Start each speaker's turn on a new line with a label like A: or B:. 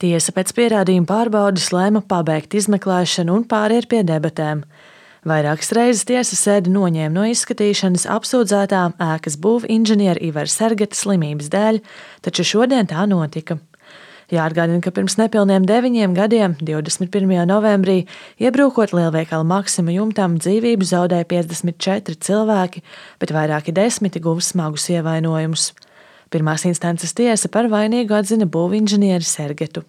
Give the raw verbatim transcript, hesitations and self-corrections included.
A: Tiesa pēc pierādījuma pārbaudes lēma pabeigt izmeklēšanu un pāriet pie debatēm. Vairākas reizes tiesas sēdi noņēma no izskatīšanas apsūdzētā ēkas būvinženiera Ivara Sergeta slimības dēļ, taču šodien tā notika. Jāatgādina, ka pirms nepilniem deviņiem gadiem, divdesmit pirmajā novembrī, iebrukot lielveikala Maksima jumtam, dzīvību zaudēja piecdesmit četri cilvēki, bet vairāki desmiti guva smagus ievainojumus. Pirmās instances tiesa par vainīgu atzina būvinženieri Sergetu.